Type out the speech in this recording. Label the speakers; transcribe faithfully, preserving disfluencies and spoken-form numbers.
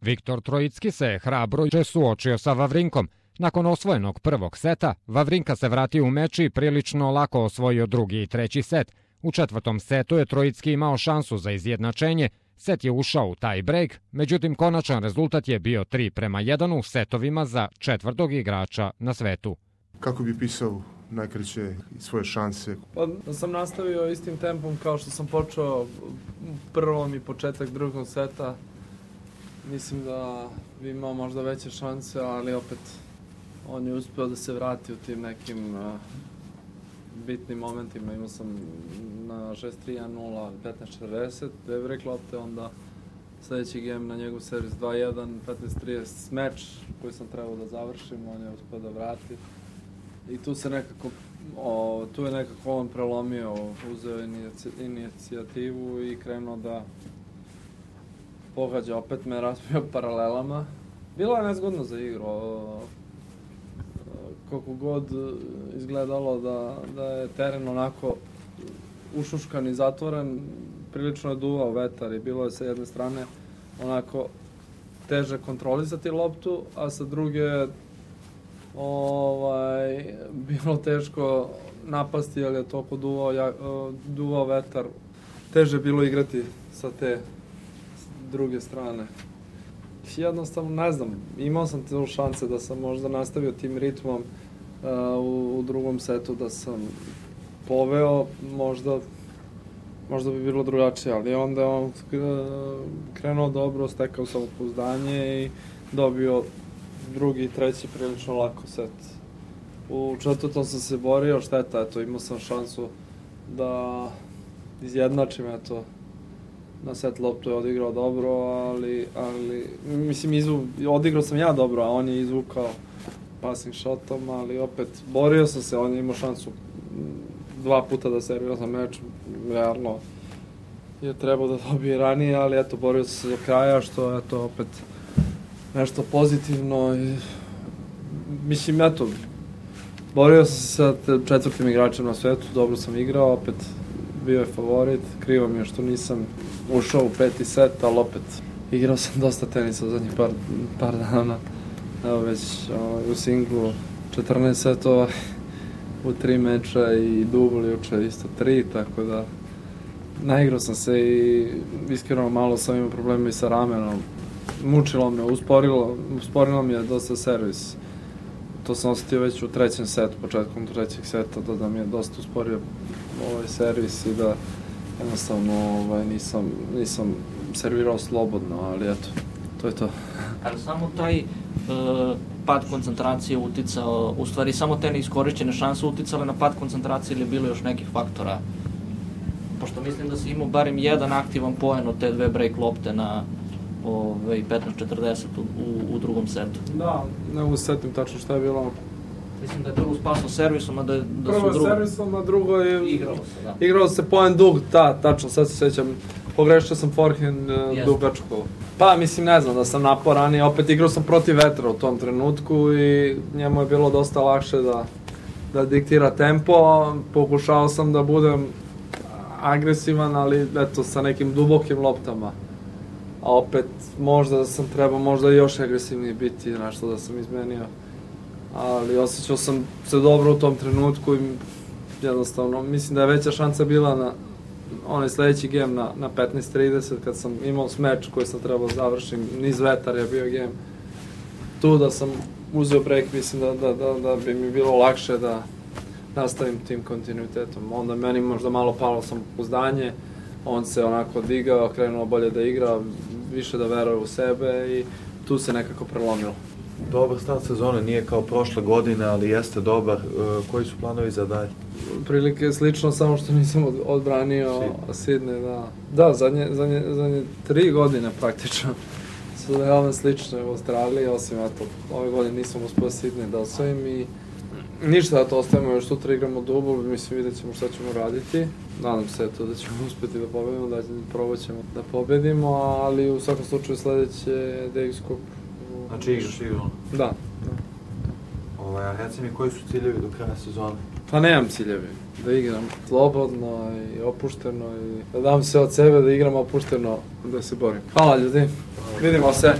Speaker 1: Viktor Trojicki se hrabro suočio sa Vavrinkom. Nakon osvojenog prvog seta, Vavrinka se vratio u meč i prilično lako osvojio drugi i treći set. U četvrtom setu je Trojicki imao šansu za izjednačenje, set je ušao u tie break, međutim konačan rezultat je bio tri prema jedan u setovima za četvrtog igrača na svetu.
Speaker 2: Kako bi pisao najkraće svoje šanse?
Speaker 3: Pa da sam nastavio istim tempom kao što sam počeo prvom i početak drugog seta. Mislim da bi imao možda veće šanse, ali opet on je uspeo da se vrati u tim nekim uh, bitnim momentima. Imao sam na šest tri jedan nula, petnaest četrdeset, dve break lopte, onda sledeći game na njegov servis dva jedan, petnaest trideset meč koji sam trebao da završim, on je uspeo da vrati. I tu se nekako, o, tu je nekako on prelomio, uzeo inicijativu i krenuo da pogađa, opet me razbio paralelama. Bilo je nezgodno za igru, koliko god izgledalo da, da je teren onako ušuškan i zatvoren, prilično je duvao vetar i bilo je sa jedne strane onako teže kontrolisati loptu, a sa druge ovaj, bilo teško napasti jer je toliko duvao, ja, duvao vetar. Teže bilo igrati sa te druge strane. Jednostavno, ne znam, imao sam te šanse da sam možda nastavio tim ritmom uh, u, u drugom setu, da sam poveo, možda, možda bi bilo drugačije, ali onda je on krenuo dobro, stekao samopouzdanje i dobio drugi i treći prilično lako set. U četvrtom sam se borio, šteta, eto, imao sam šansu da izjednačim, eto, na set loptu je odigrao dobro, ali, ali mislim, izvu, odigrao sam ja dobro, a on je izvukao passing shotom, ali opet, borio sam se, on je imao šansu dva puta da servira za meč, realno je trebao da dobije ranije, ali eto, borio sam se do kraja, što je to opet nešto pozitivno i mislim, eto, borio sam se sa četvrtim igračem na svetu, dobro sam igrao, opet bio je favorit, krivo mi je što nisam ušao u peti set, ali opet igrao sam dosta tenisa u zadnjih par, par dana, evo već o, u singlu četrnaest setova u tri meča i dubl juče isto tri, tako da naigrao sam se i iskreno malo sam imao problema i sa ramenom. Mučilo me, usporilo, usporilo mi je dosta servis. To sam osetio već u trećem setu, početkom trećeg seta, da, da mi je dosta usporio ovaj servis i da jednostavno ovaj, nisam, nisam servirao slobodno, ali eto, to je to.
Speaker 4: Ali samo taj e, pad koncentracije uticao, u stvari samo te neiskorišćene šanse uticale na pad koncentracije ili je bilo još nekih faktora? Pošto mislim da si imao barem jedan aktivan poen od te dve break lopte na Ove, petnaest četrdeset u, u, u drugom setu.
Speaker 3: Da, ne mogu setim tačno šta je bilo.
Speaker 4: Mislim da je prvo spasno servisom, a da, da
Speaker 3: prvo
Speaker 4: su drugo...
Speaker 3: Prvo servisom, a drugo je...
Speaker 4: Igralo se, da.
Speaker 3: Igralo se poen dug, da, tačno, sad se sećam. Pogrešio sam forehand uh, dugačku. Pa, mislim, ne znam, da sam naporan i opet igrao sam protiv vetra u tom trenutku i njemu je bilo dosta lakše da, da diktira tempo. Pokušao sam da budem agresivan, ali eto, sa nekim dubokim loptama. A opet, možda sam trebao možda još agresivniji biti, nešto da sam izmenio. Ali osjećao sam se dobro u tom trenutku i jednostavno, mislim da je veća šansa bila na onaj sledeći game na, na petnaest trideset kad sam imao meč koji sam trebao završim, niz vetar je bio game. Tu da sam uzeo break, mislim da, da, da, da bi mi bilo lakše da nastavim tim kontinuitetom. Onda meni možda malo palo samopouzdanje, on se onako digao, krenuo bolje da igra, više da veruje u sebe i tu se nekako prelomilo.
Speaker 5: Dobar start sezone, nije kao prošle godine, ali jeste dobar. E, koji su planovi za dalje?
Speaker 3: Prilike je slično, samo što nisam odbranio Sidney, da. Da, zadnje, zadnje, zadnje tri godine praktično su veoma slične u Australiji, osim eto, ove godine nisam uspio Sidney da osvojim i ništa da to ostavimo, još sutra igramo dubl, mislim vidjet ćemo šta ćemo raditi. Nadam se eto, da ćemo uspeti da pobedimo, da probat ćemo da pobedimo, ali u svakom slučaju sledeće je Davis Cup.
Speaker 5: Znači igraš igru?
Speaker 3: Da. da.
Speaker 5: Ovaj, a reci mi, koji su ciljevi do kraja sezone?
Speaker 3: Pa nemam ciljevi. Da igram slobodno i opušteno i da dam sve od sebe, da igram opušteno, da se borim. Hvala ljudi, vidimo se.